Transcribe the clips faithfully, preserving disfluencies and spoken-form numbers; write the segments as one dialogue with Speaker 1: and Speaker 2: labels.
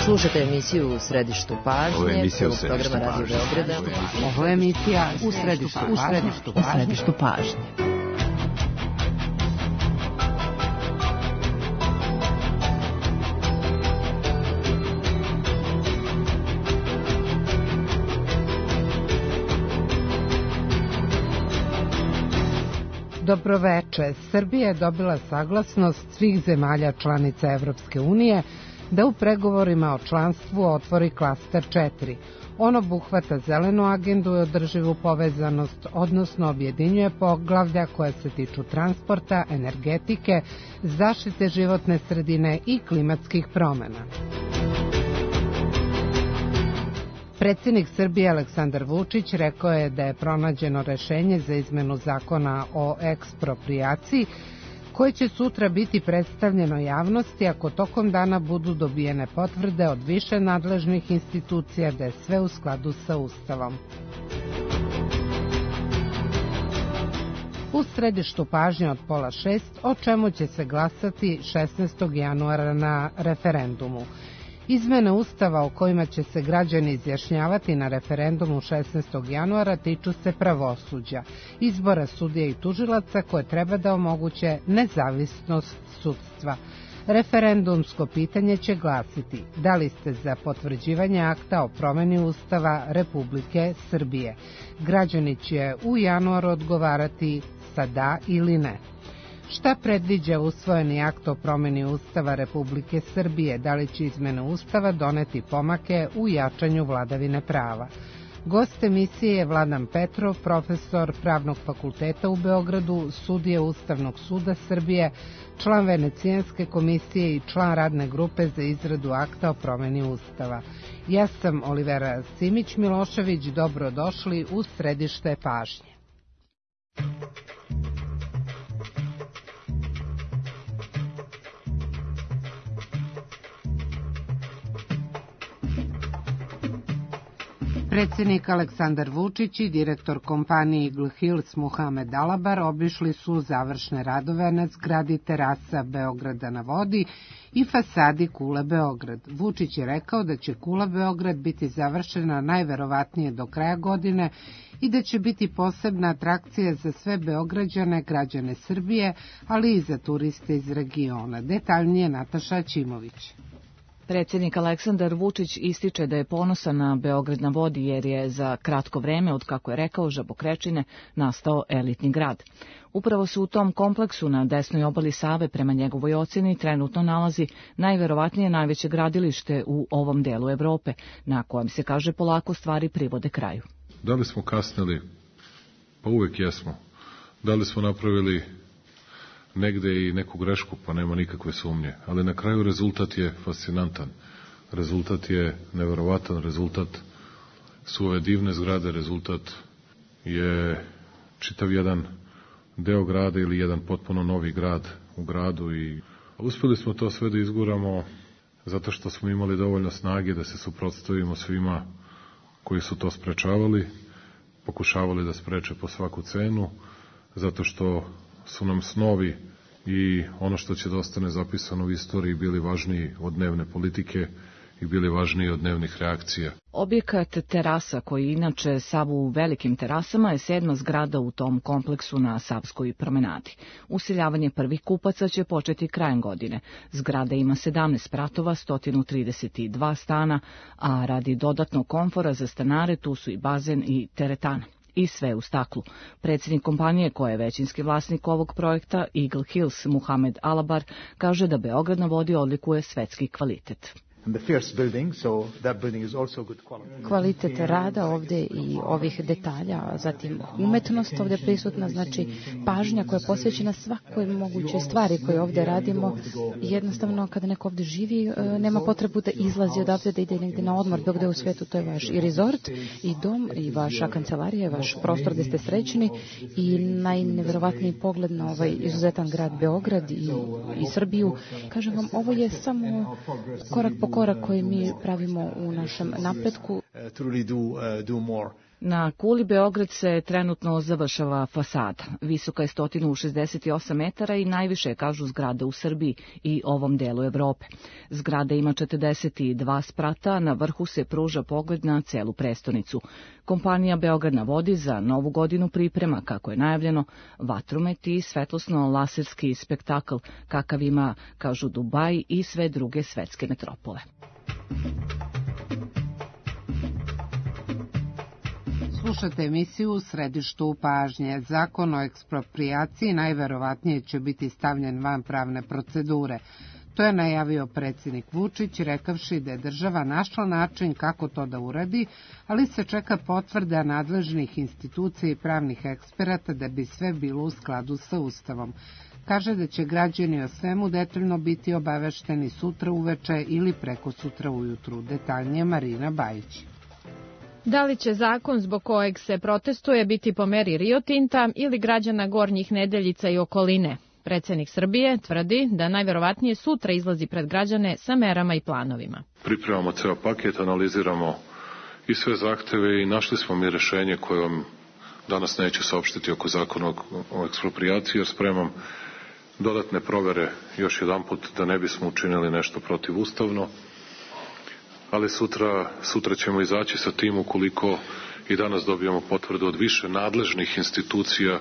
Speaker 1: Slušate emisiju U središtu pažnje, prvog programa Radio Beograda.
Speaker 2: Ovo je emisija U središtu pažnje. U središtu pažnje. Dobroveče. Srbija je dobila saglasnost svih zemalja članica Evropske unije da u pregovorima o članstvu otvori klaster četiri. On obuhvata zelenu agendu i održivu povezanost, odnosno objedinjuje poglavlja koja se tiču transporta, energetike, zaštite životne sredine i klimatskih promena. Predsjednik Srbije Aleksandar Vučić rekao je da je pronađeno rešenje za izmenu zakona o eksproprijaciji, koje će sutra biti predstavljeno javnosti ako tokom dana budu dobijene potvrde od više nadležnih institucija da je sve u skladu sa Ustavom. U središtu pažnje od pola šest, o čemu će se glasati šesnaestog januara na referendumu. Izmene Ustava o kojima će se građani izjašnjavati na referendumu šesnaestog januara tiču se pravosuđa, izbora sudija i tužilaca koje treba da omoguće nezavisnost sudstva. Referendumsko pitanje će glasiti: da li ste za potvrđivanje akta o promeni Ustava Republike Srbije? Građani će u januaru odgovarati sa da ili ne. Šta predviđa usvojeni akt o promeni Ustava Republike Srbije? Da li će izmene Ustava doneti pomake u jačanju vladavine prava? Gost emisije je Vladan Petrov, profesor Pravnog fakulteta u Beogradu, sudija Ustavnog suda Srbije, član Venecijanske komisije i član radne grupe za izradu akta o promeni Ustava. Ja sam Olivera Simić-Milošević, dobrodošli u središte pažnje. Predsjednik Aleksandar Vučić i direktor kompanije Eagle Hills Muhamed Alabar obišli su završne radove na zgradi terasa Beograda na vodi i fasadi Kule Beograd. Vučić je rekao da će Kula Beograd biti završena najverovatnije do kraja godine i da će biti posebna atrakcija za sve Beograđane, građane Srbije, ali i za turiste iz regiona. Detaljnije Nataša Ćimović.
Speaker 3: Predsjednik Aleksandar Vučić ističe da je ponosan na Beograd na vodi jer je za kratko vreme, od kako je rekao Žabokrečine, nastao elitni grad. Upravo se u tom kompleksu na desnoj obali Save prema njegovoj ocjeni trenutno nalazi najverovatnije najveće gradilište u ovom delu Evrope, na kojem se, kaže, polako stvari privode kraju.
Speaker 4: Da li smo kasnili? Pa uvek jesmo. Da li smo napravili negde i neku grešku, pa nema nikakve sumnje. Ali na kraju rezultat je fascinantan. Rezultat je neverovatan, rezultat su ove divne zgrade, rezultat je čitav jedan deo grada ili jedan potpuno novi grad u gradu i uspeli smo to sve da izguramo zato što smo imali dovoljno snage da se suprotstavimo svima koji su to sprečavali, pokušavali da spreče po svaku cenu, zato što su nam snovi i ono što će da ostane zapisano u istoriji bili važniji od dnevne politike i bili važniji od dnevnih reakcija.
Speaker 3: Objekat terasa, koji inače sav u velikim terasama, je sedma zgrada u tom kompleksu na Savskoj promenadi. Useljavanje prvih kupaca će početi krajem godine. Zgrada ima sedamnaest spratova, sto trideset dva stana, a radi dodatnog komfora za stanare tu su i bazen i teretana. I sve u staklu. Predsjednik kompanije, koja je većinski vlasnik ovog projekta, Eagle Hills Muhamed Alabar, kaže da Beograd na vodi odlikuje svetski kvalitet.
Speaker 5: Kvalitet rada ovde i ovih detalja, zatim umetnost ovde prisutna, znači pažnja koja je posvećena svakoj mogućoj stvari koje ovde radimo. Jednostavno, kada neko ovde živi, nema potrebu da izlazi odavde, da ide negde na odmor, dok gde u svetu to je vaš i rezort, i dom, i vaša kancelarija, vaš prostor gde ste srećni i najneverovatniji pogled na ovaj izuzetan grad Beograd i, i Srbiju. Kažem vam, ovo je samo korak po korak koji mi pravimo u našem napretku.
Speaker 3: Na kuli Beograd se trenutno završava fasada. Visoka je sto šezdeset osam metara i najviše je, kažu, zgrada u Srbiji i ovom delu Evrope. Zgrada ima četrdeset dva sprata, na vrhu se pruža pogled na celu prestonicu. Kompanija Beograd na vodi za novu godinu priprema, kako je najavljeno, vatromet i svetlosno-laserski spektakl, kakav ima, kažu, Dubaj i sve druge svetske metropole.
Speaker 2: Slušate emisiju U središtu pažnje. Zakon o eksproprijaciji najverovatnije će biti stavljen van pravne procedure. To je najavio predsjednik Vučić, rekavši da je država našla način kako to da uradi, ali se čeka potvrda nadležnih institucija i pravnih eksperata da bi sve bilo u skladu sa Ustavom. Kaže da će građani o svemu detaljno biti obavešteni sutra uveče ili preko sutra ujutru. Detaljnije Marina Bajić.
Speaker 6: Da li će zakon zbog kojeg se protestuje biti po meri Rio Tinta ili građana Gornjih Nedeljica i okoline? Predsjednik Srbije tvrdi da najverovatnije sutra izlazi pred građane sa merama i planovima.
Speaker 4: Pripremamo ceo paket, analiziramo i sve zahteve i našli smo mi rešenje koje vam danas neću saopštiti oko zakona o eksproprijaciji, jer spremam dodatne provere još jedan put da ne bismo učinili nešto protivustavno. Ali sutra, sutra ćemo izaći sa tim ukoliko i danas dobijamo potvrdu od više nadležnih institucija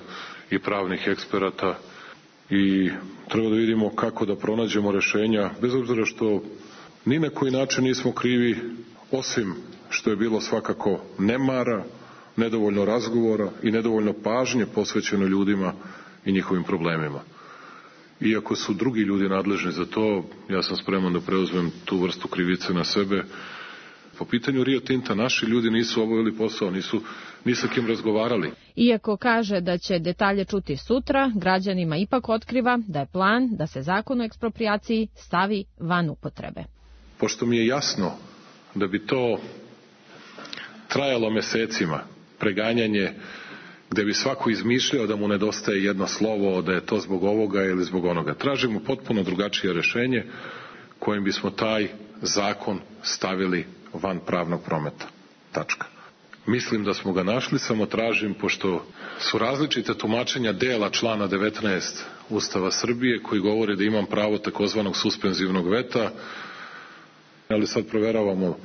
Speaker 4: i pravnih eksperata i treba da vidimo kako da pronađemo rešenja, bez obzira što ni na koji način nismo krivi, osim što je bilo svakako nemara, nedovoljno razgovora i nedovoljno pažnje posvećeno ljudima i njihovim problemima. Iako su drugi ljudi nadležni za to, ja sam spreman da preuzmem tu vrstu krivice na sebe. Po pitanju Rio Tinta naši ljudi nisu obavili posao, nisu ni sa kim razgovarali.
Speaker 6: Iako kaže da će detalje čuti sutra, građanima ipak otkriva da je plan da se zakon o eksproprijaciji stavi van upotrebe.
Speaker 4: Pošto mi je jasno da bi to trajalo mesecima, preganjanje gde bi svako izmišljao da mu nedostaje jedno slovo, da je to zbog ovoga ili zbog onoga. Tražimo potpuno drugačije rešenje kojim bismo taj zakon stavili van pravnog prometa. Tačka. Mislim da smo ga našli, samo tražim, pošto su različite tumačenja dela člana devetnaest Ustava Srbije koji govori da imam pravo takozvanog suspenzivnog veta, ali sad proveravamo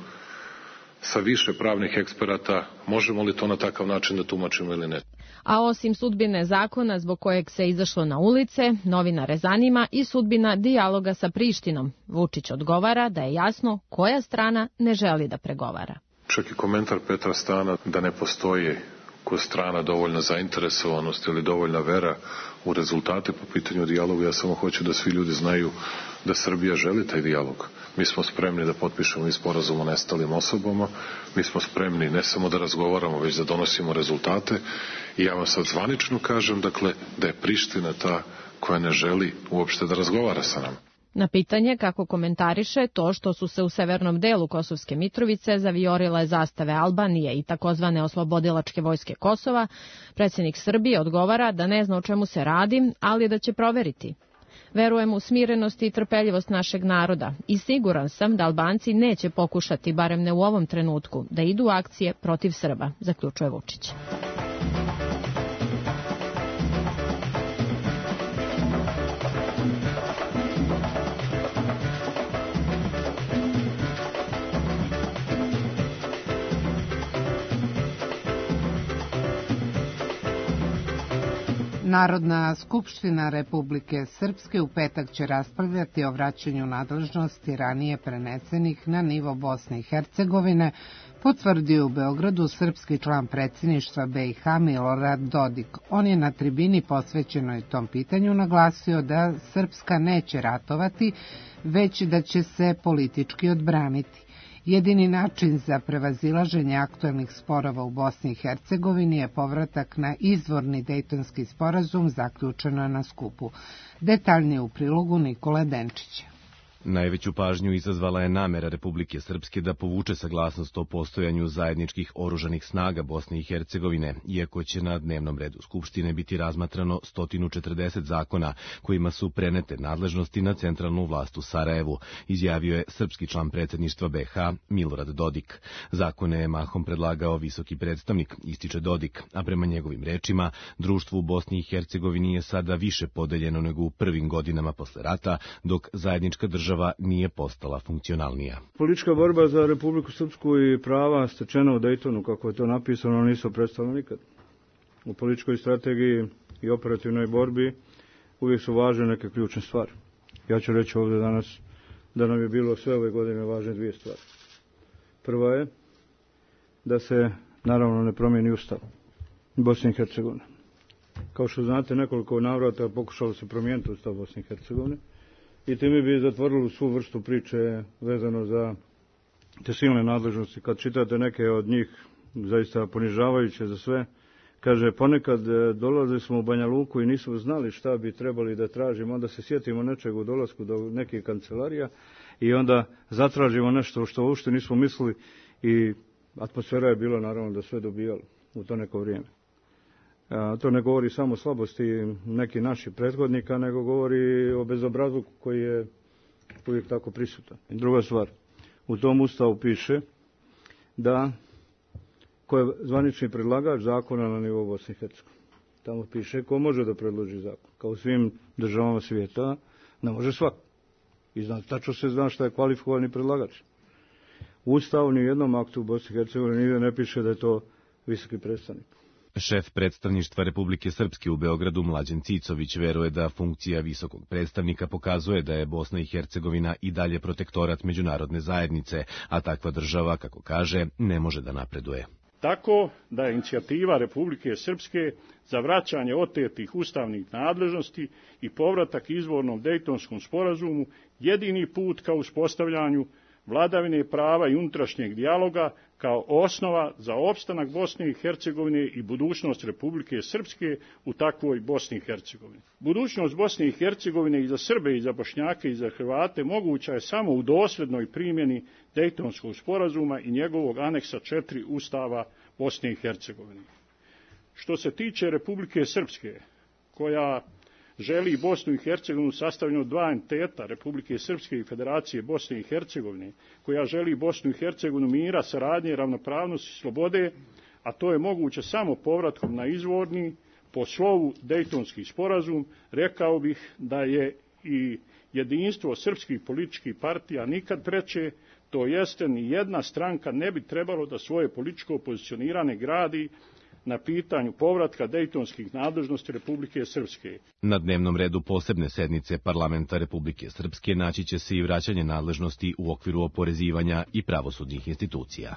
Speaker 4: sa više pravnih eksperata možemo li to na takav način da tumačimo ili ne.
Speaker 6: A osim sudbine zakona zbog kojeg se izašlo na ulice, novinare zanima i sudbina dijaloga sa Prištinom. Vučić odgovara da je jasno koja strana ne želi da pregovara.
Speaker 4: Čak i komentar Petra Stana da ne postoji kod strana dovoljna zainteresovanost ili dovoljna vera u rezultate po pitanju dijaloga. Ja samo hoću da svi ljudi znaju da Srbija želi taj dijalog. Mi smo spremni da potpišemo i sporazum o nestalim osobama, mi smo spremni ne samo da razgovaramo, već da donosimo rezultate i ja vam sad zvanično kažem, dakle, da je Priština ta koja ne želi uopšte da razgovara sa nama.
Speaker 6: Na pitanje kako komentariše to što su se u severnom delu Kosovske Mitrovice zaviorile zastave Albanije i takozvane oslobodilačke vojske Kosova, predsjednik Srbije odgovara da ne zna o čemu se radi, ali da će proveriti. Verujem u smirenost i trpeljivost našeg naroda i siguran sam da Albanci neće pokušati, barem ne u ovom trenutku, da idu u akcije protiv Srba, zaključuje Vučić.
Speaker 2: Narodna skupština Republike Srpske u petak će raspravljati o vraćanju nadležnosti ranije prenesenih na nivo Bosne i Hercegovine, potvrdio u Beogradu srpski član predsjedništva B i H Milorad Dodik. On je na tribini posvećenoj tom pitanju naglasio da Srpska neće ratovati, već da će se politički odbraniti. Jedini način za prevazilaženje aktuelnih sporova u Bosni i Hercegovini je povratak na izvorni Dejtonski sporazum, zaključeno je na skupu. Detaljnije u prilogu Nikole Denčića.
Speaker 7: Najveću pažnju izazvala je namera Republike Srpske da povuče saglasnost o postojanju zajedničkih oružanih snaga Bosne i Hercegovine, iako će na dnevnom redu Skupštine biti razmatrano sto četrdeset zakona kojima su prenete nadležnosti na centralnu vlast u Sarajevu, izjavio je srpski član predsjedništva B H Milorad Dodik. Zakone je mahom predlagao visoki predstavnik, ističe Dodik, a prema njegovim rečima, društvo u Bosni i Hercegovini je sada više podeljeno nego u prvim godinama posle rata, dok zajednička država nije postala funkcionalnija.
Speaker 8: Politička borba za Republiku Srpsku i prava stečena u Dejtonu, kako je to napisano, nisu predstavljene nikad. U političkoj strategiji i operativnoj borbi uvijek su važne neke ključne stvari. Ja ću reći ovdje danas da nam je bilo sve ove godine važne dvije stvari. Prva je da se naravno ne promijeni ustav Bosne i Hercegovine. Kao što znate, nekoliko navrata pokušalo se promijeniti ustav Bosne i Hercegovine i time bi zatvorili svu vrstu priče vezano za te silne nadležnosti. Kad čitate neke od njih, zaista ponižavajuće za sve, kaže, ponekad dolazili smo u Banja Luku i nismo znali šta bi trebali da tražimo, onda se sjetimo nečeg u dolasku do nekih kancelarija i onda zatražimo nešto što uopšte nismo mislili i atmosfera je bila naravno da sve dobijalo u to neko vrijeme. A, to ne govori samo o slabosti nekih naših prethodnika, nego govori o bezobrazluku koji je uvijek tako prisutan. I druga stvar, u tom ustavu piše da ko je zvanični predlagač zakona na nivou Bosne i Hercegovine. Tamo piše ko može da predloži zakon. Kao u svim državama svijeta, ne može svako. I zna, tačno se zna šta je kvalifikovani predlagač. U Ustavu ni u jednom aktu u Bosni i Hercegovini nigde ne piše da je to visoki predstavnik.
Speaker 7: Šef predstavništva Republike Srpske u Beogradu Mlađan Cicović veruje da funkcija visokog predstavnika pokazuje da je Bosna i Hercegovina i dalje protektorat međunarodne zajednice, a takva država, kako kaže, ne može da napreduje.
Speaker 9: Tako da je inicijativa Republike Srpske za vraćanje otetih ustavnih nadležnosti i povratak izvornom Dejtonskom sporazumu jedini put ka uspostavljanju vladavine prava i unutrašnjeg dijaloga kao osnova za opstanak Bosne i Hercegovine i budućnost Republike Srpske u takvoj Bosni i Hercegovini. Budućnost Bosne i Hercegovine i za Srbe i za Bošnjake i za Hrvate moguća je samo u dosljednoj primjeni Dejtonskog sporazuma i njegovog aneksa četiri Ustava Bosne i Hercegovine. Što se tiče Republike Srpske, koja želi Bosnu i Hercegovinu sastavljenu od dva entiteta, Republike Srpske i Federacije Bosne i Hercegovine, koja želi Bosnu i Hercegovinu mira, saradnje, ravnopravnosti i slobode, a to je moguće samo povratkom na izvorni, po slovu Dejtonski sporazum, rekao bih da je i jedinstvo srpskih političkih partija nikad preče, to jeste ni jedna stranka ne bi trebalo da svoje političko pozicioniranje gradi na pitanju povratka dejtonskih nadležnosti Republike Srpske.
Speaker 7: Na dnevnom redu posebne sednice Parlamenta Republike Srpske naći će se i vraćanje nadležnosti u okviru oporezivanja i pravosudnih institucija.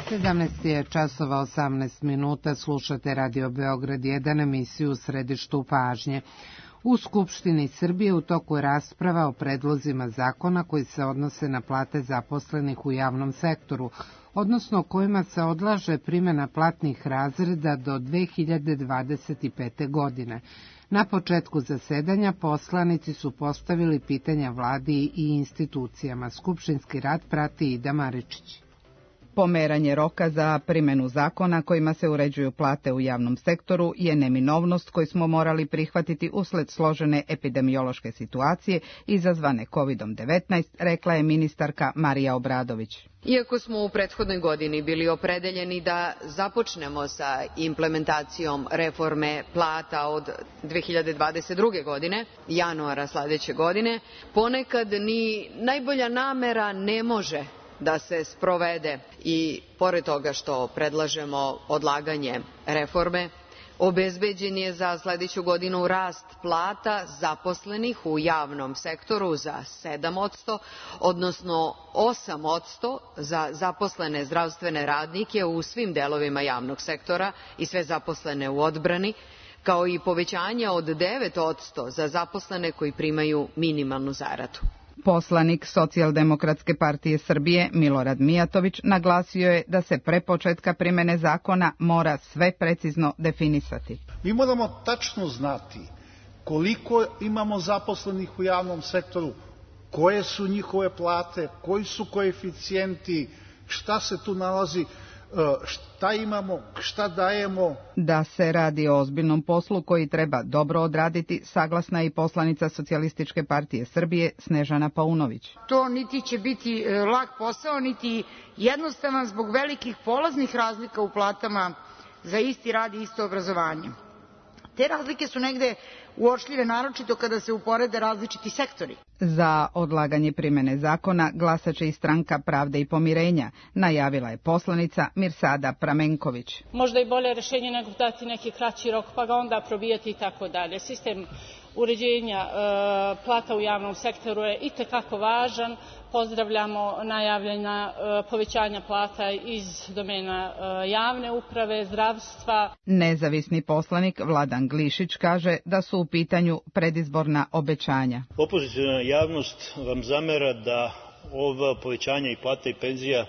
Speaker 2: sedamnaest je časova osamnaest minuta, slušate Radio Beograd jedan, emisiju u središtu pažnje. U Skupštini Srbije u toku je rasprava o predlozima zakona koji se odnose na plate zaposlenih u javnom sektoru, odnosno kojima se odlaže primjena platnih razreda do dve hiljade dvadeset pete. godine. Na početku zasedanja poslanici su postavili pitanja vladi i institucijama. Skupštinski rad prati Ida Maričić.
Speaker 10: Pomeranje roka za primjenu zakona kojima se uređuju plate u javnom sektoru je neminovnost koju smo morali prihvatiti usled složene epidemiološke situacije izazvane kovidom devetnaest, rekla je ministarka Marija Obradović.
Speaker 1: Iako smo u prethodnoj godini bili opredeljeni da započnemo sa implementacijom reforme plata od dve hiljade dvadeset druge. godine, januara sljedeće godine, ponekad ni najbolja namera ne može da se sprovede i pored toga što predlažemo odlaganje reforme, obezbeđen je za sljedeću godinu rast plata zaposlenih u javnom sektoru za sedam posto, odnosno osam posto za zaposlene zdravstvene radnike u svim delovima javnog sektora i sve zaposlene u odbrani, kao i povećanje od devet posto za zaposlene koji primaju minimalnu zaradu.
Speaker 10: Poslanik Socijaldemokratske partije Srbije Milorad Mijatović naglasio je da se pre početka primene zakona mora sve precizno definisati.
Speaker 11: Mi moramo tačno znati koliko imamo zaposlenih u javnom sektoru, koje su njihove plate, koji su koeficijenti, šta se tu nalazi, šta imamo, šta dajemo. Da se radi o ozbiljnom poslu koji treba dobro odraditi, saglasna je i poslanica Socijalističke partije Srbije Snežana Paunović.
Speaker 12: To niti će biti lak posao, niti jednostavan zbog velikih polaznih razlika u platama za isti rad i isto obrazovanje. Te razlike su negde uočljive, naročito kada se uporede različiti sektori.
Speaker 10: Za odlaganje primene zakona glasaće i Stranka pravde i pomirenja, najavila je poslanica Mirsada Pramenković.
Speaker 13: Možda i bolje rešenje nego dati neki kraći rok pa ga onda probijati i tako dalje. Sistem uređenja e, plata u javnom sektoru je itekako važan. Pozdravljamo najavljena e, povećanja plata iz domena e, javne uprave, zdravstva.
Speaker 10: Nezavisni poslanik Vladan Glišić kaže da su u pitanju predizborna obećanja.
Speaker 14: Opoziciona javnost vam zamera da ova povećanja i plata i penzija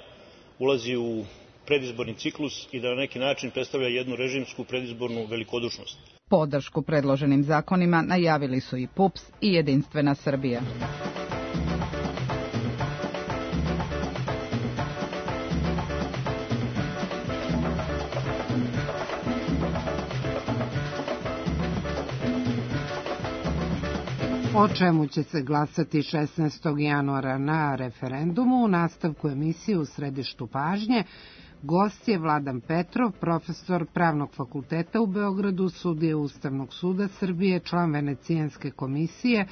Speaker 14: ulazi u predizborni ciklus i da na neki način predstavlja jednu režimsku predizbornu velikodušnost.
Speaker 10: Podršku predloženim zakonima najavili su i P U P S i Jedinstvena Srbija.
Speaker 2: O čemu će se glasati šesnaestog januara na referendumu, u nastavku emisije U središtu pažnje, gost je Vladan Petrov, profesor Pravnog fakulteta u Beogradu, sudija Ustavnog suda Srbije, član Venecijanske komisije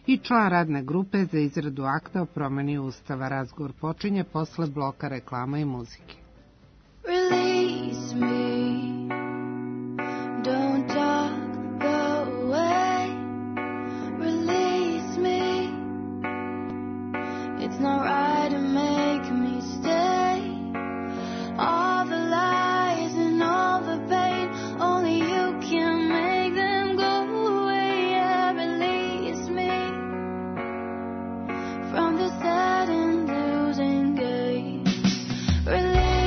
Speaker 2: i član radne grupe za izradu akta o promeni Ustava. Razgovor počinje posle bloka reklama i muzike. Release me, don't talk, go away. Release me, it's not right to make me stay. All the lies and all the pain, only you can make them go away. Yeah, release me from the sad and losing game. Release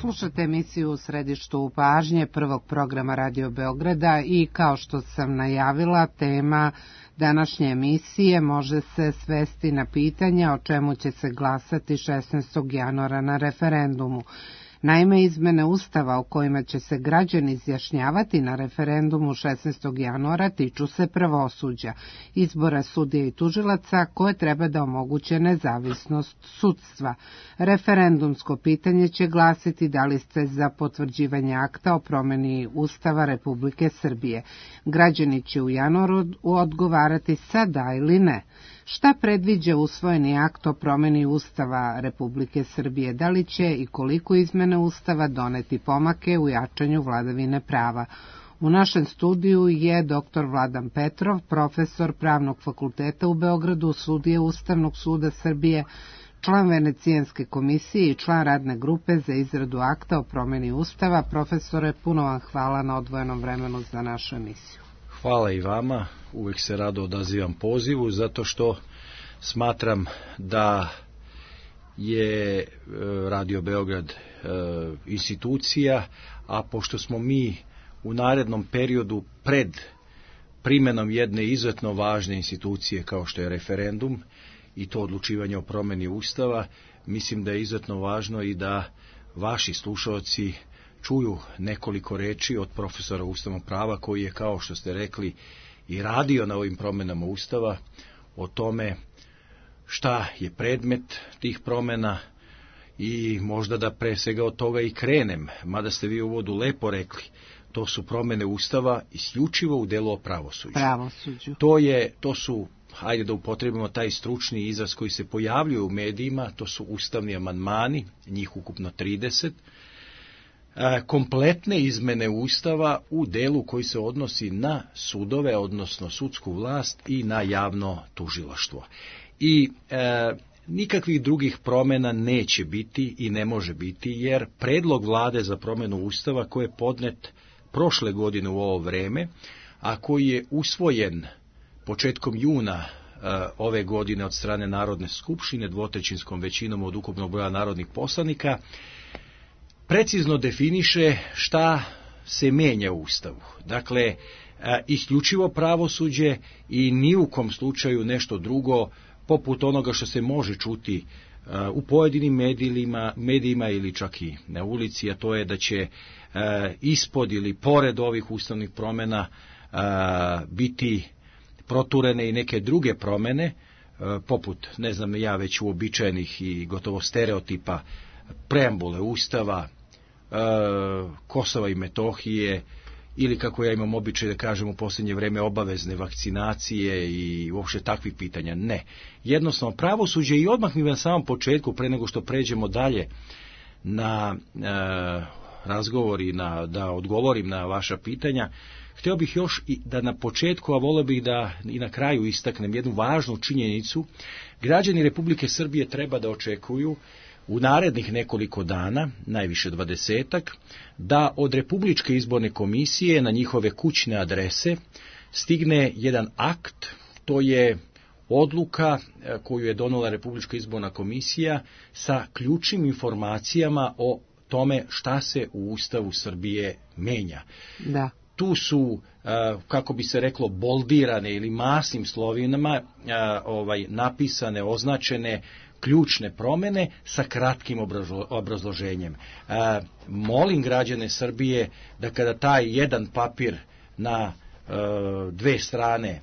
Speaker 2: Slušate emisiju U središtu pažnje prvog programa Radio Beograda i kao što sam najavila, tema današnje emisije može se svesti na pitanje o čemu će se glasati šesnaestog januara na referendumu. Naime, izmene Ustava o kojima će se građani izjašnjavati na referendumu šesnaestog januara tiču se pravosuđa, izbora sudija i tužilaca koje treba da omoguće nezavisnost sudstva. Referendumsko pitanje će glasiti da li ste za potvrđivanje akta o promeni Ustava Republike Srbije. Građani će u januaru odgovarati sa da ili ne. Šta predviđa usvojeni akt o promeni Ustava Republike Srbije? Da li će i koliko izmene Ustava doneti pomake u jačanju vladavine prava? U našem studiju je doktor Vladan Petrov, profesor Pravnog fakulteta u Beogradu, sudija Ustavnog suda Srbije, član Venecijanske komisije i član radne grupe za izradu akta o promeni Ustava. Profesore, puno vam hvala na odvojenom vremenu za našu emisiju.
Speaker 15: Hvala i vama, uvijek se rado odazivam pozivu, zato što smatram da je Radio Beograd institucija, a pošto smo mi u narednom periodu pred primenom jedne izuzetno važne institucije kao što je referendum i to odlučivanje o promeni Ustava, mislim da je izuzetno važno i da vaši slušalci čuju nekoliko reči od profesora ustavnog prava koji je, kao što ste rekli, i radio na ovim promjenama Ustava, o tome šta je predmet tih promjena i možda da pre svega od toga i krenem, mada ste vi u uvodu lepo rekli, to su promjene Ustava isključivo u delu o pravosuđu.
Speaker 2: Pravosuđu.
Speaker 15: To je, to su, hajde da upotrebimo taj stručni izraz koji se pojavljuje u medijima, to su ustavni amandmani, njih ukupno trideset, kompletne izmene Ustava u delu koji se odnosi na sudove, odnosno sudsku vlast i na javno tužilaštvo. I e, nikakvih drugih promjena neće biti i ne može biti, jer predlog vlade za promjenu Ustava koji je podnet prošle godine u ovo vreme, a koji je usvojen početkom juna e, ove godine od strane Narodne skupštine dvotrećinskom većinom od ukupnog broja narodnih poslanika, precizno definiše šta se menja u Ustavu. Dakle, isključivo pravosuđe i ni u kom slučaju nešto drugo, poput onoga što se može čuti u pojedinim medijima, medijima ili čak i na ulici, a to je da će ispod ili pored ovih ustavnih promjena biti proturene i neke druge promjene, poput, ne znam ja, već uobičajenih i gotovo stereotipa preambule Ustava, Kosova i Metohije, ili kako ja imam običaj da kažem u posljednje vrijeme obavezne vakcinacije i uopšte takvih pitanja. Ne. Jednostavno pravosuđe i odmah mi na samom početku, pre nego što pređemo dalje na e, razgovor i na, da odgovorim na vaša pitanja, htio bih još i da na početku, a volio bih da i na kraju istaknem jednu važnu činjenicu. Građani Republike Srbije treba da očekuju u narednih nekoliko dana, najviše dvadesetak, da od Republičke izborne komisije na njihove kućne adrese stigne jedan akt, to je odluka koju je donela Republička izborna komisija sa ključnim informacijama o tome šta se u Ustavu Srbije menja.
Speaker 2: Da.
Speaker 15: Tu su, kako bi se reklo, boldirane ili masnim slovinama ovaj, napisane, označene ključne promjene sa kratkim obrazloženjem. E, molim građane Srbije da kada taj jedan papir na e, dve strane e,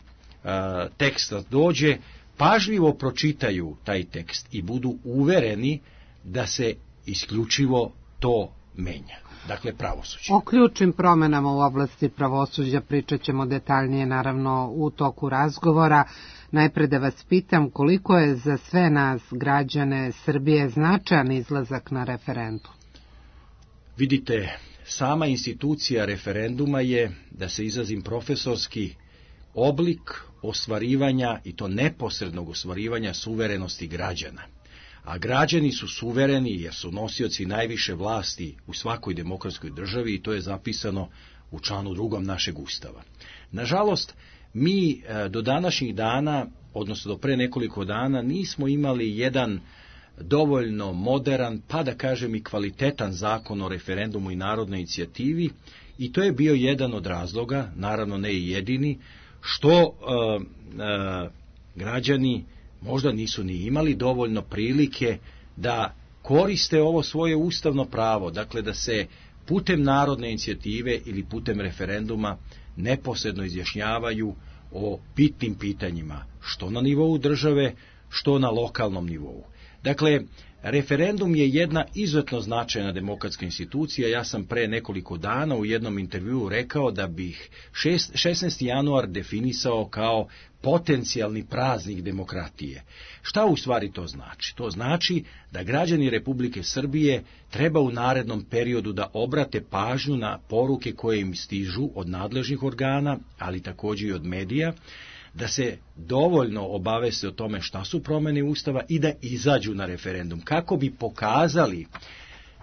Speaker 15: teksta dođe, pažljivo pročitaju taj tekst i budu uvereni da se isključivo to menja. Dakle, pravosuđe.
Speaker 2: O ključnim promjenama u oblasti pravosuđa pričat ćemo detaljnije, naravno, u toku razgovora. Najpre da vas pitam koliko je za sve nas, građane Srbije, značajan izlazak na referendum?
Speaker 15: Vidite, sama institucija referenduma je, da se izrazim profesorski, oblik ostvarivanja, i to neposrednog ostvarivanja suverenosti građana. A građani su suvereni jer su nosioci najviše vlasti u svakoj demokratskoj državi i to je zapisano u članu drugom našeg Ustava. Nažalost, mi do današnjih dana, odnosno do pre nekoliko dana, nismo imali jedan dovoljno moderan, pa da kažem i kvalitetan zakon o referendumu i narodnoj inicijativi, i to je bio jedan od razloga, naravno ne i jedini, što uh, uh, građani možda nisu ni imali dovoljno prilike da koriste ovo svoje ustavno pravo, dakle da se putem narodne inicijative ili putem referenduma neposredno izjašnjavaju o bitnim pitanjima, što na nivou države, što na lokalnom nivou. Dakle, referendum je jedna izuzetno značajna demokratska institucija. Ja sam pre nekoliko dana u jednom intervjuu rekao da bih šesnaesti januar definisao kao potencijalni praznik demokratije. Šta u stvari to znači? To znači da građani Republike Srbije treba u narednom periodu da obrate pažnju na poruke koje im stižu od nadležnih organa, ali također i od medija, da se dovoljno obaveste o tome šta su promjene Ustava i da izađu na referendum, kako bi pokazali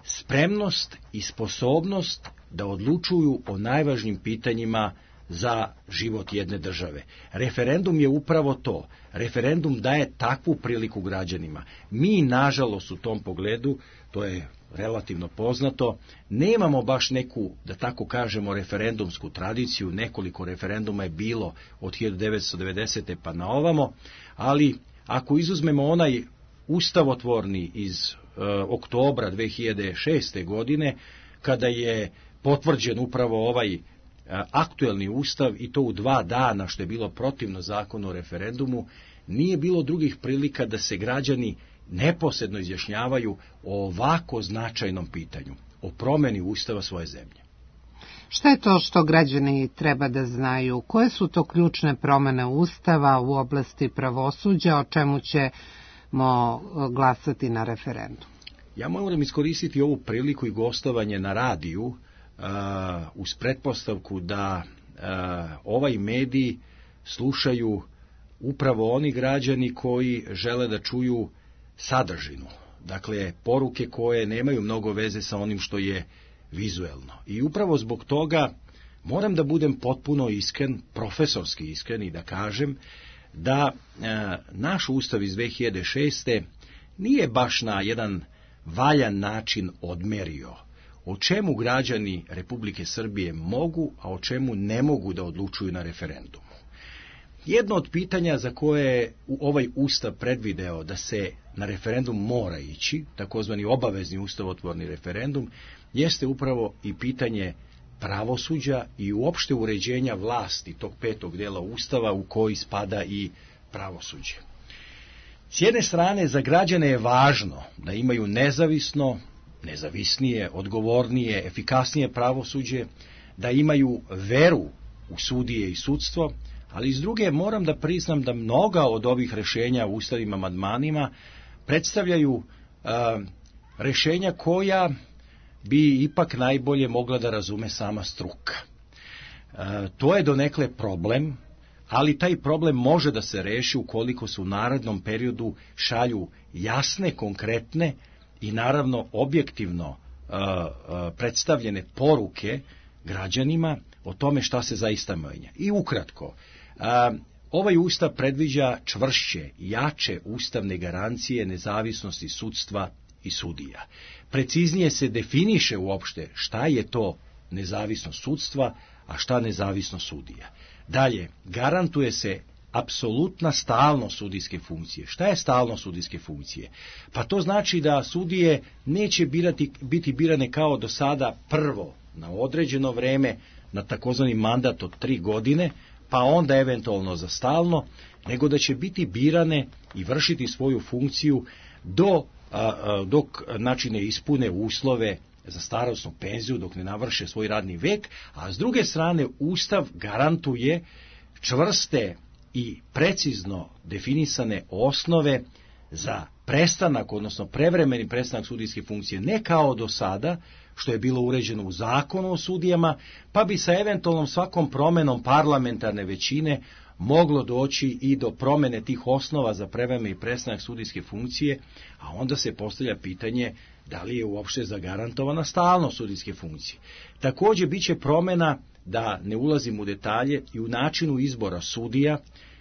Speaker 15: spremnost i sposobnost da odlučuju o najvažnijim pitanjima za život jedne države. Referendum je upravo to. Referendum daje takvu priliku građanima. Mi, nažalost, u tom pogledu, to je relativno poznato, nemamo baš neku, da tako kažemo, referendumsku tradiciju. Nekoliko referenduma je bilo od hiljadu devetsto devedesete pa na ovamo, ali ako izuzmemo onaj ustavotvorni iz e, oktobra dve hiljade šeste. godine, kada je potvrđen upravo ovaj aktuelni ustav, i to u dva dana, što je bilo protivno zakonu o referendumu, nije bilo drugih prilika da se građani neposredno izjašnjavaju o ovako značajnom pitanju, o promjeni ustava svoje zemlje.
Speaker 2: Šta je to što građani treba da znaju? Koje su to ključne promjene ustava u oblasti pravosuđa, o čemu ćemo glasati na referendum?
Speaker 15: Ja moram iskoristiti ovu priliku i gostovanje na radiju uh, uz pretpostavku da uh, ovaj medij slušaju upravo oni građani koji žele da čuju sadržinu. Dakle, poruke koje nemaju mnogo veze sa onim što je vizuelno. I upravo zbog toga moram da budem potpuno iskren, profesorski iskren, i da kažem da e, naš ustav iz dve hiljade šeste. nije baš na jedan valjan način odmerio o čemu građani Republike Srbije mogu, a o čemu ne mogu da odlučuju na referendumu. Jedno od pitanja za koje je ovaj ustav predvideo da se na referendum mora ići, takozvani obavezni ustavotvorni referendum, jeste upravo i pitanje pravosuđa i uopšte uređenja vlasti tog petog dela ustava u koji spada i pravosuđe. S jedne strane, za građane je važno da imaju nezavisno, nezavisnije, odgovornije, efikasnije pravosuđe, da imaju veru u sudije i sudstvo, ali s druge moram da priznam da mnoga od ovih rešenja u ustavnim amandmanima predstavljaju a, rešenja koja bi ipak najbolje mogla da razume sama struka. A, to je donekle problem, ali taj problem može da se reši ukoliko se u narednom periodu šalju jasne, konkretne i naravno objektivno a, a, predstavljene poruke građanima o tome šta se zaista menja. I ukratko, a, ovaj ustav predviđa čvršće, jače ustavne garancije nezavisnosti sudstva i sudija. Preciznije se definiše uopšte šta je to nezavisnost sudstva, a šta nezavisnost sudija. Dalje, garantuje se apsolutna stalnost sudijske funkcije. Šta je stalnost sudijske funkcije? Pa to znači da sudije neće birati, biti birane kao do sada prvo na određeno vreme, na takozvani mandat od tri godine, pa onda eventualno za stalno, nego da će biti birane i vršiti svoju funkciju do, a, a, dok znači ne ispune uslove za starosnu penziju, dok ne navrše svoj radni vek, a s druge strane Ustav garantuje čvrste i precizno definisane osnove za prestanak, odnosno prevremeni prestanak sudijske funkcije, ne kao do sada, što je bilo uređeno u zakonu o sudijama, pa bi sa eventualnom svakom promenom parlamentarne većine moglo doći i do promene tih osnova za prevremeni prestanak sudijske funkcije, a onda se postavlja pitanje da li je uopšte zagarantovana stalnost sudijske funkcije. Također biće promena, da ne ulazim u detalje, i u načinu izbora sudija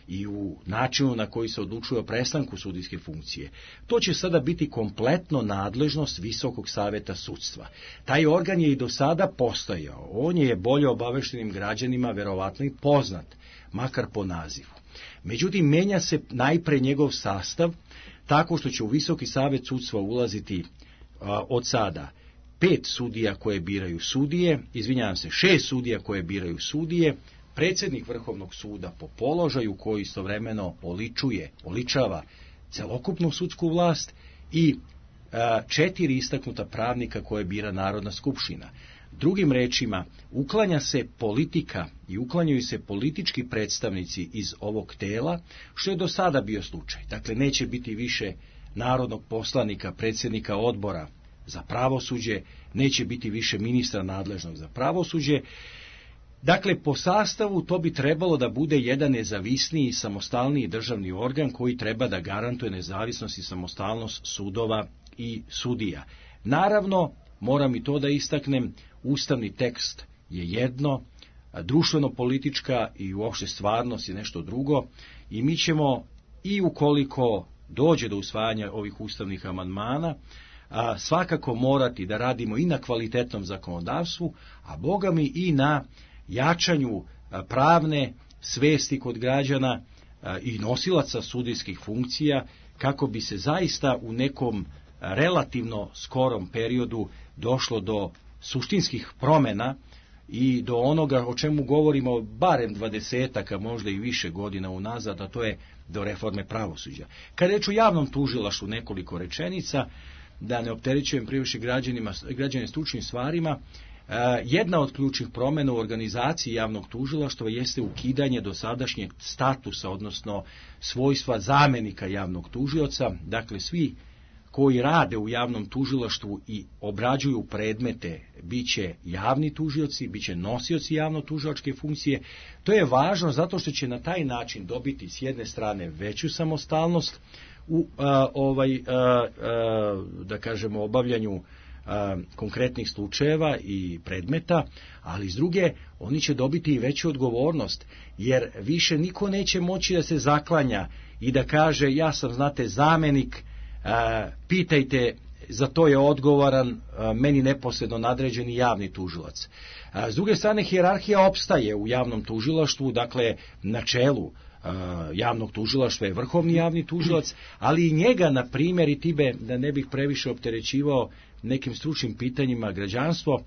Speaker 15: i u načinu na koji se odlučuje o prestanku sudijske funkcije. To će sada biti kompletno nadležnost Visokog saveta sudstva. Taj organ je i do sada postojao. On je bolje obaveštenim građanima verovatno i poznat, makar po nazivu. Međutim, menja se najpre njegov sastav, tako što će u Visoki savet sudstva ulaziti a, od sada pet sudija koje biraju sudije, izvinjavam se, šest sudija koje biraju sudije, predsjednik Vrhovnog suda po položaju koji istovremeno oličuje, oličava celokupnu sudsku vlast i a, četiri istaknuta pravnika koje bira Narodna skupština. Drugim rečima, uklanja se politika i uklanjaju se politički predstavnici iz ovog tela, što je do sada bio slučaj. Dakle, neće biti više narodnog poslanika, predsjednika odbora za pravosuđe, neće biti više ministra nadležnog za pravosuđe. Dakle, po sastavu to bi trebalo da bude jedan nezavisniji i samostalniji državni organ koji treba da garantuje nezavisnost i samostalnost sudova i sudija. Naravno, moram i to da istaknem, ustavni tekst je jedno, društveno-politička i uopšte stvarnost je nešto drugo i mi ćemo, i ukoliko dođe do usvajanja ovih ustavnih amandmana, a, svakako morati da radimo i na kvalitetnom zakonodavstvu, a Boga mi i na jačanju a, pravne svesti kod građana a, i nosilaca sudijskih funkcija, kako bi se zaista u nekom relativno skorom periodu došlo do suštinskih promjena i do onoga o čemu govorimo barem dvadesetak, a možda i više godina unazad, a to je do reforme pravosuđa. Kad reč o javnom tužilaštvu, nekoliko rečenica, da ne opterećujem previše građanima, građane stručnim stvarima, jedna od ključnih promjena u organizaciji javnog tužilaštva jeste ukidanje dosadašnjeg statusa, odnosno svojstva zamenika javnog tužioca. Dakle, svi koji rade u javnom tužilaštvu i obrađuju predmete, bit će javni tužioci, bit će nosioci javno-tužilačke funkcije. To je važno zato što će na taj način dobiti s jedne strane veću samostalnost u a, ovaj, a, a, da kažemo, obavljanju a, konkretnih slučajeva i predmeta, ali s druge oni će dobiti i veću odgovornost, jer više niko neće moći da se zaklanja i da kaže ja sam, znate, zamenik, a, pitajte, za to je odgovoran a, meni neposredno nadređeni javni tužilac. A, s druge strane, hijerarhija opstaje u javnom tužilaštvu, dakle na čelu javnog tužilaštva je vrhovni javni tužilac, ali i njega, na primjer, i tibe, da ne bih previše opterećivao nekim stručnim pitanjima građanstvo,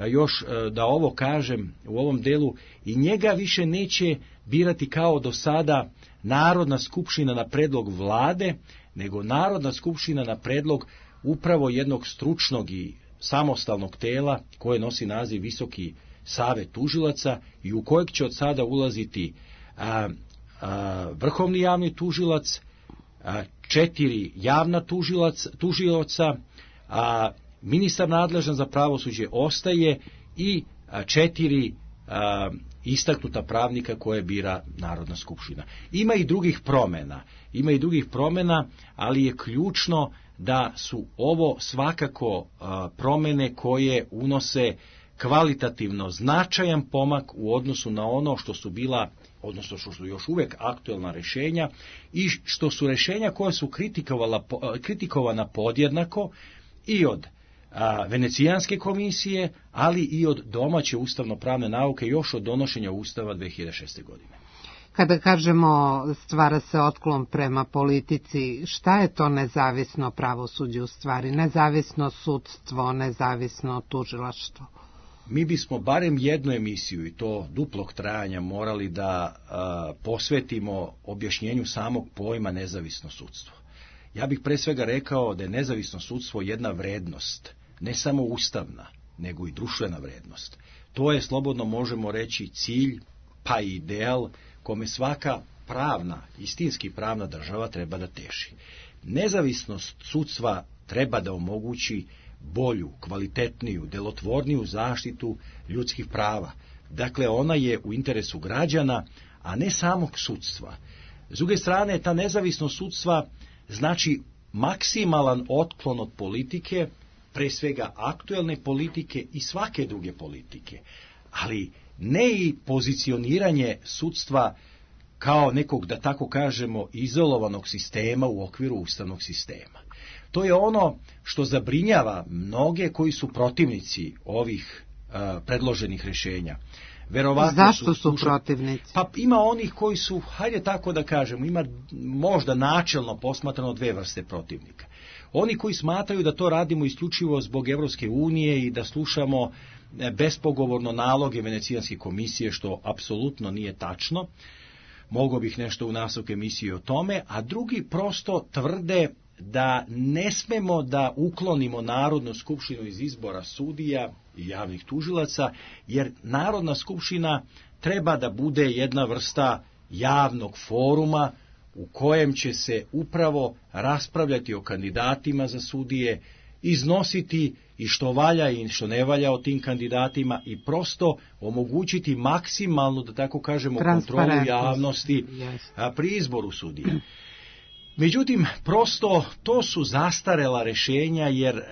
Speaker 15: još da ovo kažem u ovom delu, i njega više neće birati kao do sada Narodna skupština na predlog vlade, nego Narodna skupština na predlog upravo jednog stručnog i samostalnog tela koje nosi naziv Visoki savet tužilaca i u kojeg će od sada ulaziti a, a, vrhovni javni tužilac, a, četiri javna tužilac, tužioca, a ministar nadležan za pravosuđe ostaje i a, četiri a, istaknuta pravnika koje bira Narodna skupština. Ima i drugih promjena, ima i drugih promjena, ali je ključno da su ovo svakako a, promjene koje unose kvalitativno značajan pomak u odnosu na ono što su bila, odnosno što su još uvijek aktuelna rješenja i što su rješenja koja su kritikovana podjednako i od a, Venecijanske komisije, ali i od domaće ustavno-pravne nauke još od donošenja Ustava dve hiljade šeste. godine.
Speaker 2: Kada kažemo stvara se otklon prema politici, šta je to nezavisno pravosuđe u stvari? Nezavisno sudstvo, nezavisno tužilaštvo?
Speaker 15: Mi bismo barem jednu emisiju, i to duplog trajanja, morali da a, posvetimo objašnjenju samog pojma nezavisno sudstvo. Ja bih pre svega rekao da je nezavisno sudstvo jedna vrednost, ne samo ustavna, nego i društvena vrednost. To je, slobodno možemo reći, cilj, pa i ideal kome svaka pravna, istinski pravna država treba da teži. Nezavisnost sudstva treba da omogući bolju, kvalitetniju, delotvorniju zaštitu ljudskih prava. Dakle, ona je u interesu građana, a ne samog sudstva. S druge strane, ta nezavisnost sudstva znači maksimalan otklon od politike, pre svega aktuelne politike i svake druge politike, ali ne i pozicioniranje sudstva kao nekog, da tako kažemo, izolovanog sistema u okviru ustavnog sistema. To je ono što zabrinjava mnoge koji su protivnici ovih uh, predloženih rješenja.
Speaker 2: Verovatno Zašto su, su protivnici?
Speaker 15: Pa ima onih koji su, hajde tako da kažemo, ima možda načelno posmatrano dve vrste protivnika. Oni koji smatraju da to radimo isključivo zbog Evropske unije i da slušamo bespogovorno naloge Venecijanske komisije, što apsolutno nije tačno. Mogao bih nešto u nastavku emisije o tome, a drugi prosto tvrde da ne smemo da uklonimo Narodnu skupštinu iz izbora sudija i javnih tužilaca, jer Narodna skupština treba da bude jedna vrsta javnog foruma u kojem će se upravo raspravljati o kandidatima za sudije, iznositi i što valja i što ne valja o tim kandidatima i prosto omogućiti maksimalnu, da tako kažemo, kontrolu javnosti pri izboru sudija. Međutim, prosto to su zastarela rješenja, jer e,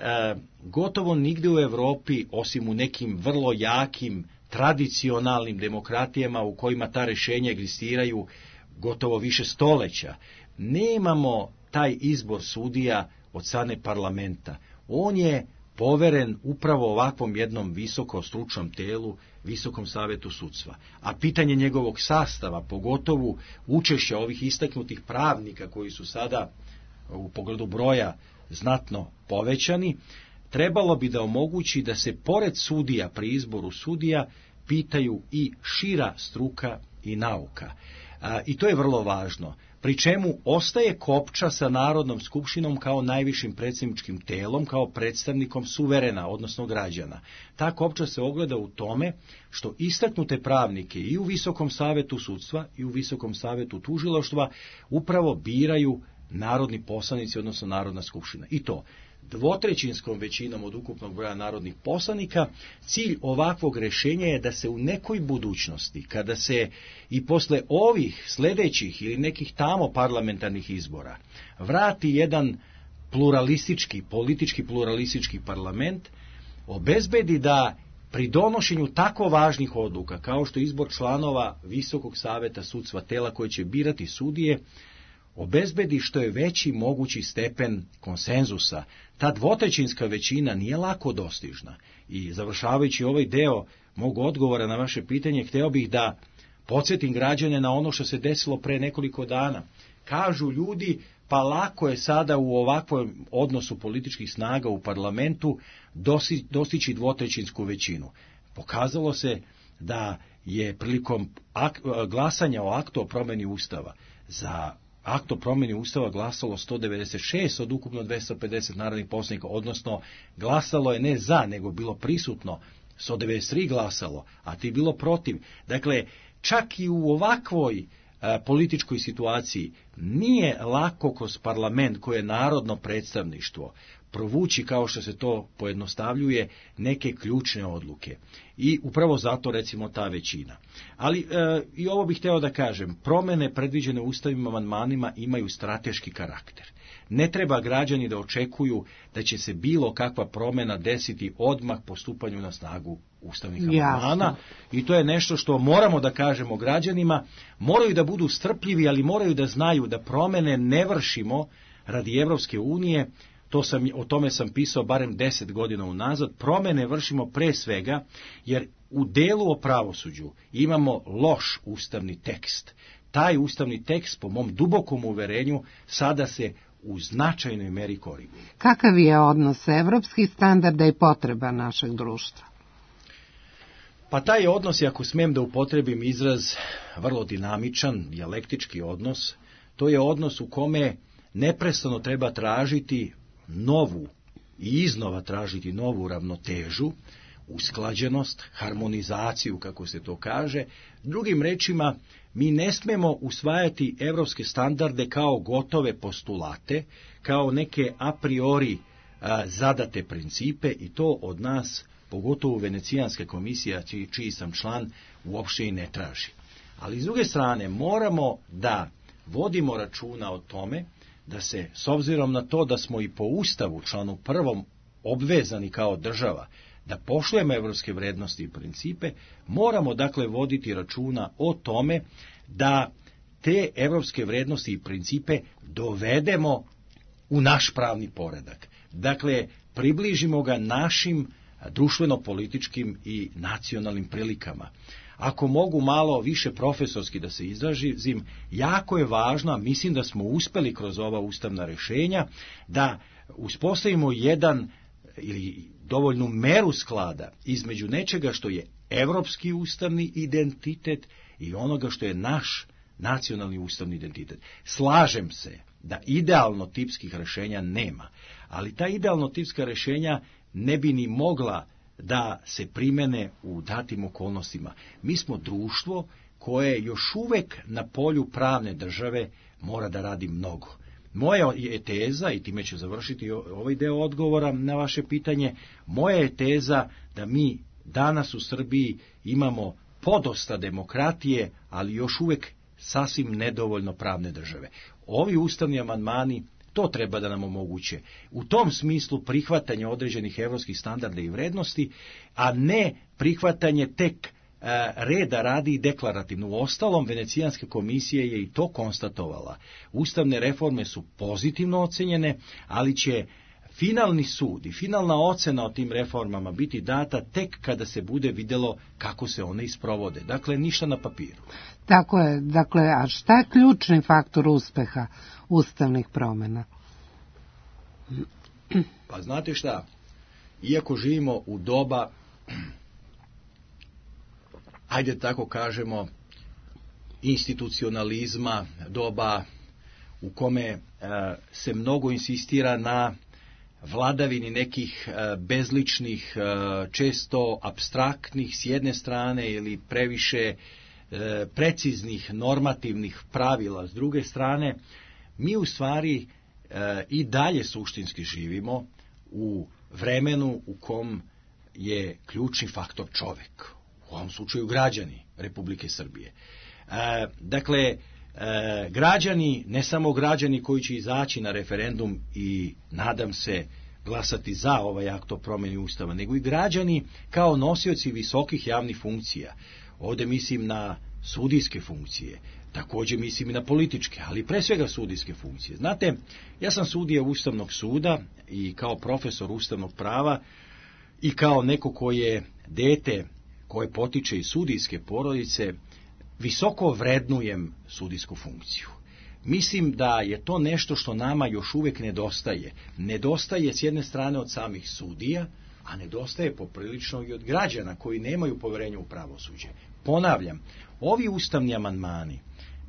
Speaker 15: gotovo nigde u Europi, osim u nekim vrlo jakim tradicionalnim demokratijama u kojima ta rješenja egzistiraju gotovo više stoleća, nemamo taj izbor sudija od strane parlamenta. On je poveren upravo ovakvom jednom visoko stručnom telu, Visokom savetu sudstva. A pitanje njegovog sastava, pogotovo učešća ovih istaknutih pravnika koji su sada u pogledu broja znatno povećani, trebalo bi da omogući da se pored sudija pri izboru sudija pitaju i šira struka i nauka. A, I to je vrlo važno. Pri čemu ostaje kopča sa Narodnom skupštinom kao najvišim predsjedničkim telom, kao predstavnikom suverena, odnosno građana. Ta kopča se ogleda u tome što istaknute pravnike i u Visokom savetu sudstva i u Visokom savetu tužilaštva upravo biraju narodni poslanici, odnosno Narodna skupština. I to dvotrećinskom većinom od ukupnog broja narodnih poslanika. Cilj ovakvog rješenja je da se u nekoj budućnosti, kada se i posle ovih sljedećih ili nekih tamo parlamentarnih izbora vrati jedan pluralistički, politički pluralistički parlament, obezbedi da pri donošenju tako važnih odluka kao što je izbor članova Visokog saveta sudstva, tela koje će birati sudije, obezbedi što je veći mogući stepen konsenzusa. Ta dvotrećinska većina nije lako dostižna. I završavajući ovaj deo mog odgovora na vaše pitanje, hteo bih da podsjetim građane na ono što se desilo pre nekoliko dana. Kažu ljudi, pa lako je sada u ovakvom odnosu političkih snaga u parlamentu dostići dvotrećinsku većinu. Pokazalo se da je prilikom glasanja o aktu o promjeni Ustava za akt o promjeni Ustava glasalo sto devedeset šest od ukupno dvesta pedeset narodnih poslanika, odnosno glasalo je ne za, nego bilo prisutno, sto devedeset tri glasalo, a ti bilo protiv. Dakle, čak i u ovakvoj a, političkoj situaciji nije lako kroz parlament koje je narodno predstavništvo provući, kao što se to pojednostavljuje, neke ključne odluke. I upravo zato, recimo, ta većina. Ali e, i ovo bih hteo da kažem, promjene predviđene ustavnim amandmanima imaju strateški karakter. Ne treba građani da očekuju da će se bilo kakva promjena desiti odmah po stupanju na snagu ustavnih amandmana. I to je nešto što moramo da kažemo građanima. Moraju da budu strpljivi, ali moraju da znaju da promjene ne vršimo radi Evropske unije. To sam, o tome sam pisao barem deset godina unazad. Promjene vršimo pre svega jer u delu o pravosuđu imamo loš ustavni tekst. Taj ustavni tekst, po mom dubokom uverenju, sada se u značajnoj meri koriguje.
Speaker 2: Kakav je odnos evropskih standarda i potreba našeg društva?
Speaker 15: Pa taj odnos, ako smem da upotrebim izraz, vrlo dinamičan, dijalektički odnos. To je odnos u kome neprestano treba tražiti novu i iznova tražiti novu ravnotežu, usklađenost, harmonizaciju, kako se to kaže. Drugim rečima, mi ne smemo usvajati evropske standarde kao gotove postulate, kao neke a priori a, zadate principe, i to od nas, pogotovo Venecijanska komisija, čiji, čiji sam član, uopšte i ne traži. Ali s druge strane, moramo da vodimo računa o tome da se, s obzirom na to da smo i po Ustavu, članu prvom, obvezani kao država da poštujemo evropske vrednosti i principe, moramo dakle voditi računa o tome da te evropske vrednosti i principe dovedemo u naš pravni poredak. Dakle, približimo ga našim društveno-političkim i nacionalnim prilikama. Ako mogu malo više profesorski da se izrazim, jako je važno, a mislim da smo uspeli kroz ova ustavna rešenja, da uspostavimo jedan ili dovoljnu meru sklada između nečega što je evropski ustavni identitet i onoga što je naš nacionalni ustavni identitet. Slažem se da idealno tipskih rešenja nema, ali ta idealno tipska rešenja ne bi ni mogla da se primene u datim okolnostima. Mi smo društvo koje još uvek na polju pravne države mora da radi mnogo. Moja je teza, i time ću završiti ovaj deo odgovora na vaše pitanje, moja je teza da mi danas u Srbiji imamo podosta demokratije, ali još uvek sasvim nedovoljno pravne države. Ovi ustavni amandmani to treba da nam omoguće. U tom smislu prihvatanje određenih evropskih standarda i vrednosti, a ne prihvatanje tek e, reda radi i deklarativno. U ostalom, Venecijanska komisija je i to konstatovala. Ustavne reforme su pozitivno ocenjene, ali će finalni sud i finalna ocena o tim reformama biti data tek kada se bude vidjelo kako se one isprovode. Dakle, ništa na papiru.
Speaker 2: Tako je. Dakle, a šta je ključni faktor uspeha ustavnih promjena?
Speaker 15: Pa znate šta, iako živimo u doba, ajde tako kažemo, institucionalizma, doba u kome e, se mnogo insistira na vladavini nekih e, bezličnih, e, često apstraktnih s jedne strane ili previše e, preciznih normativnih pravila s druge strane, mi u stvari e, i dalje suštinski živimo u vremenu u kom je ključni faktor čovek, u ovom slučaju građani Republike Srbije. E, dakle, e, građani, ne samo građani koji će izaći na referendum i nadam se glasati za ovaj akt o promjeni Ustava, nego i građani kao nosioci visokih javnih funkcija. Ovdje mislim na sudijske funkcije, također mislim i na političke, ali pre svega sudijske funkcije. Znate, ja sam sudija Ustavnog suda i kao profesor ustavnog prava i kao neko koje je dete koje potiče iz sudijske porodice, visoko vrednujem sudijsku funkciju. Mislim da je to nešto što nama još uvijek nedostaje. Nedostaje s jedne strane od samih sudija, a nedostaje poprilično i od građana koji nemaju poverenja u pravosuđe. Ponavljam, ovi ustavni amandmani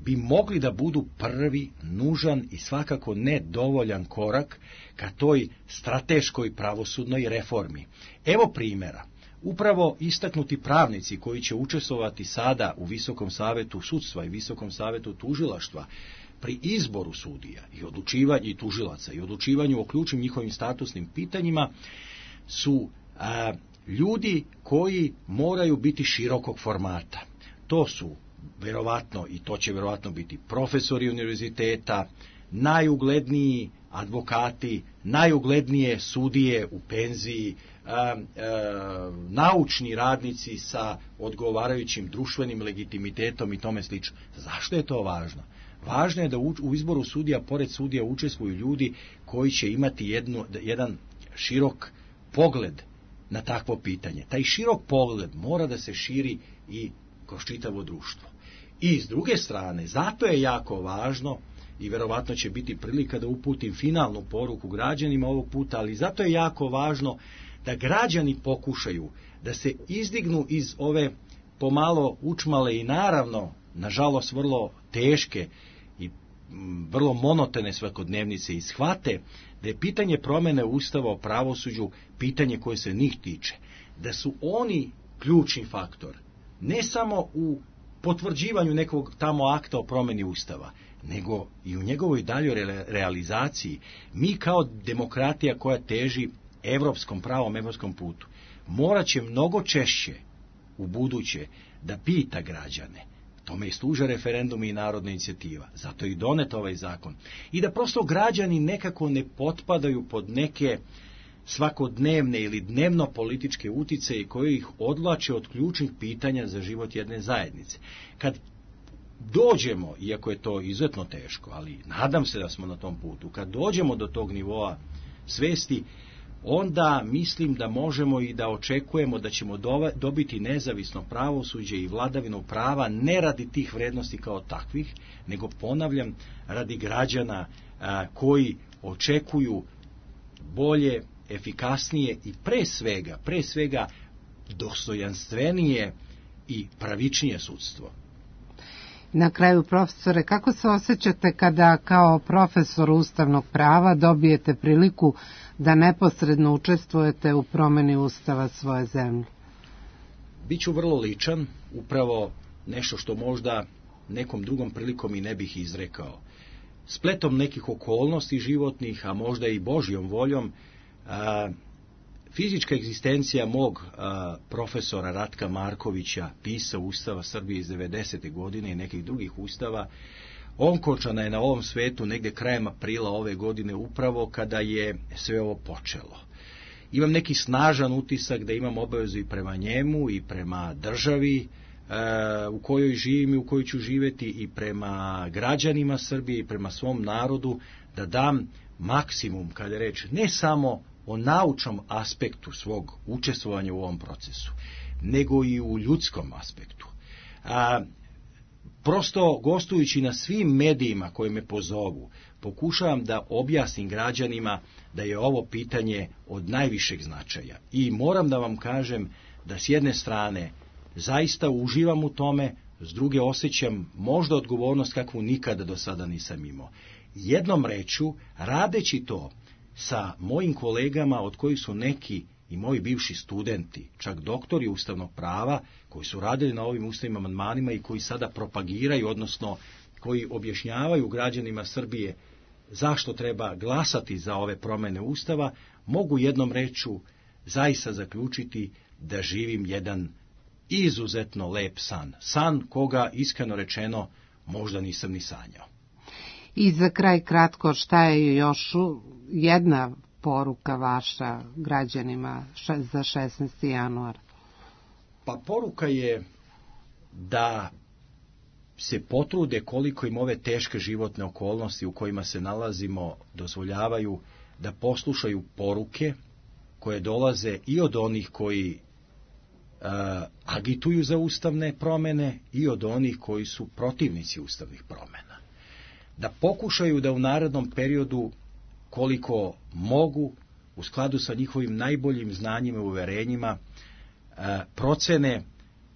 Speaker 15: bi mogli da budu prvi, nužan i svakako nedovoljan korak ka toj strateškoj pravosudnoj reformi. Evo primjera. Upravo istaknuti pravnici koji će učestvovati sada u Visokom savetu sudstva i Visokom savetu tužilaštva pri izboru sudija i odlučivanju i tužilaca i odlučivanju o ključnim njihovim statusnim pitanjima su a, ljudi koji moraju biti širokog formata. To su verovatno, i to će verovatno biti profesori univerziteta, najugledniji advokati, najuglednije sudije u penziji, a, a, naučni radnici sa odgovarajućim društvenim legitimitetom i tome slično. Zašto je to važno? Važno je da u, u izboru sudija, pored sudija, učestvuju ljudi koji će imati jednu, jedan širok pogled na takvo pitanje. Taj širok pogled mora da se širi i kroz čitavo društvo. I s druge strane, zato je jako važno, i verovatno će biti prilika da uputim finalnu poruku građanima ovog puta, ali zato je jako važno da građani pokušaju da se izdignu iz ove pomalo učmale i naravno, nažalost, vrlo teške i vrlo monotone svakodnevnice i shvate da je pitanje promjene Ustava o pravosuđu pitanje koje se njih tiče. Da su oni ključni faktor, ne samo u potvrđivanju nekog tamo akta o promjeni Ustava, nego i u njegovoj daljoj realizaciji. Mi kao demokratija koja teži evropskom pravom, evropskom putu, morat će mnogo češće u buduće da pita građane. Tome i služe referendumi i narodna inicijativa. Zato je i donet ovaj zakon. I da prosto građani nekako ne potpadaju pod neke svakodnevne ili dnevno političke uticaje koje ih odvlače od ključnih pitanja za život jedne zajednice. Kad dođemo, iako je to izuzetno teško, ali nadam se da smo na tom putu, kad dođemo do tog nivoa svesti, onda mislim da možemo i da očekujemo da ćemo dobiti nezavisno pravosuđe i vladavinu prava ne radi tih vrednosti kao takvih, nego, ponavljam, radi građana a, koji očekuju bolje, efikasnije i pre svega, pre svega dostojanstvenije i pravičnije sudstvo.
Speaker 2: Na kraju, profesore, kako se osjećate kada kao profesor ustavnog prava dobijete priliku da neposredno učestvujete u promeni ustava svoje zemlje?
Speaker 15: Biću vrlo ličan, upravo nešto što možda nekom drugom prilikom i ne bih izrekao. Spletom nekih okolnosti životnih, a možda i Božjom voljom, a, fizička egzistencija mog a, profesora Ratka Markovića, pisao Ustava Srbije iz devedesete godine i nekih drugih ustava, onkočana je na ovom svetu negde krajem aprila ove godine, upravo kada je sve ovo počelo. Imam neki snažan utisak da imam obavezu i prema njemu i prema državi e, u kojoj živim i u kojoj ću živeti, i prema građanima Srbije i prema svom narodu, da dam maksimum, kada je reč ne samo o naučnom aspektu svog učestvovanja u ovom procesu, nego i u ljudskom aspektu. A, prosto, gostujući na svim medijima koje me pozovu, pokušavam da objasnim građanima da je ovo pitanje od najvišeg značaja. I moram da vam kažem da s jedne strane zaista uživam u tome, s druge osjećam možda odgovornost kakvu nikada do sada nisam imao. Jednom rečju, radeći to sa mojim kolegama, od kojih su neki i moji bivši studenti, čak doktori ustavnog prava, koji su radili na ovim ustavnim amandmanima i koji sada propagiraju, odnosno koji objašnjavaju građanima Srbije zašto treba glasati za ove promene Ustava, mogu jednom rečju zaista zaključiti da živim jedan izuzetno lep san. San koga, iskreno rečeno, možda nisam ni sanjao.
Speaker 2: I za kraj kratko, šta je još jedna poruka vaša građanima za šesnaesti januar?
Speaker 15: Pa poruka je da se potrude koliko im ove teške životne okolnosti u kojima se nalazimo dozvoljavaju, da poslušaju poruke koje dolaze i od onih koji uh, agituju za ustavne promene i od onih koji su protivnici ustavnih promena. Da pokušaju da u narednom periodu, koliko mogu, u skladu sa njihovim najboljim znanjima i uverenjima, uh, procene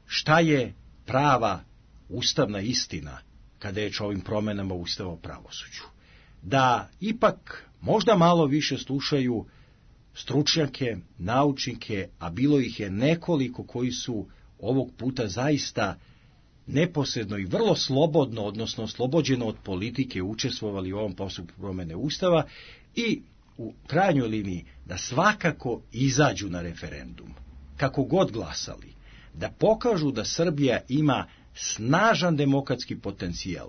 Speaker 15: šta je prava ustavna istina kada je o ovim promenama Ustava o pravosuđu. Da ipak možda malo više slušaju stručnjake, naučnike, a bilo ih je nekoliko koji su ovog puta zaista neposredno i vrlo slobodno, odnosno oslobođeno od politike, učestvovali u ovom postupku promene Ustava, i u krajnjoj liniji da svakako izađu na referendum, kako god glasali, da pokažu da Srbija ima snažan demokratski potencijal,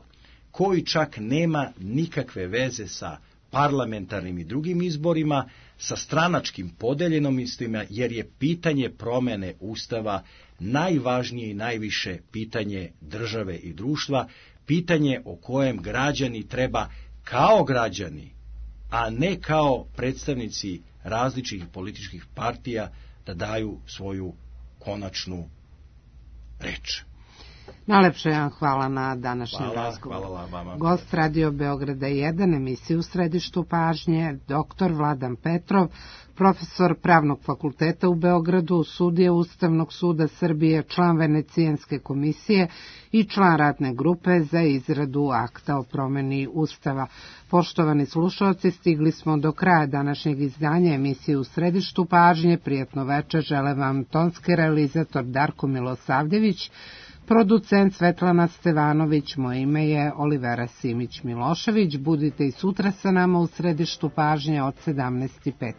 Speaker 15: koji čak nema nikakve veze sa parlamentarnim i drugim izborima, sa stranačkim podeljenostima, jer je pitanje promene Ustava najvažnije i najviše pitanje države i društva, pitanje o kojem građani treba kao građani, a ne kao predstavnici različitih političkih partija, da daju svoju konačnu reč.
Speaker 2: Najlepše vam hvala na današnjem
Speaker 15: hvala,
Speaker 2: razgovoru.
Speaker 15: Hvala vama.
Speaker 2: Gost Radio Beograda jedan, emisiju u središtu pažnje, doktor Vladan Petrov, profesor Pravnog fakulteta u Beogradu, sudija Ustavnog suda Srbije, član Venecijanske komisije i član radne grupe za izradu akta o promeni Ustava. Poštovani slušalci, stigli smo do kraja današnjeg izdanja emisije u središtu pažnje. Prijatno večer žele vam tonski realizator Darko Milosavljević, producent Svetlana Stevanović, moje ime je Olivera Simić-Milošević. Budite i sutra sa nama u središtu pažnje od sedamnaest i pet.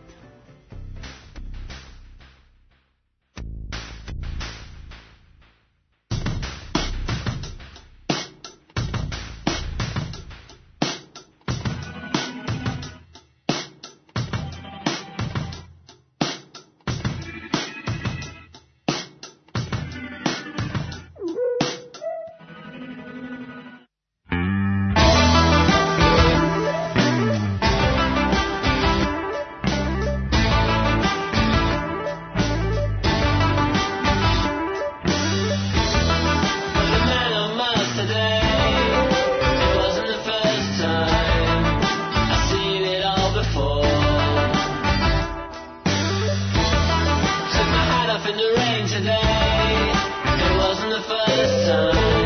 Speaker 16: off in the rain today. It wasn't the first time.